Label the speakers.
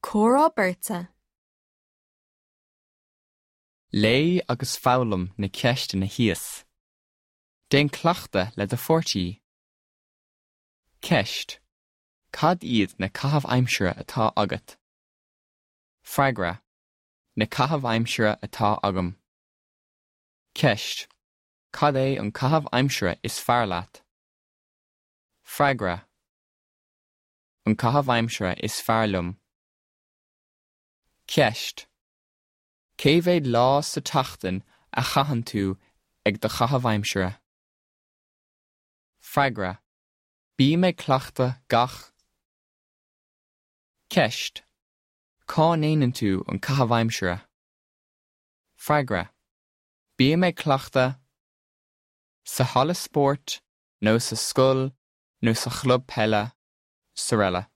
Speaker 1: Comhrá beirte.
Speaker 2: Léigh agus foghlaim na ceisteanna thíos. Déan cleachtadh le do pháirtí. Ceist. Cad iad na caithimh aimsire atá agat? Freagra. Na caithimh aimsire atá agam. Ceist. Cad é an caitheamh aimsire is fearr leat? Freagra. An caitheamh aimsire is fearr liom. Ceist. Cé mhéad lá sa tseachtain a chaitheann tú ag do chaitheamh aimsire? Freagra. Bím ag cleachtadh gach. Ceist. Cá ndéanann tú an caitheamh aimsire? Freagra. Bím ag cleachtadh sa halla spóirt nó sa scoil nó sa chlub peile, srl.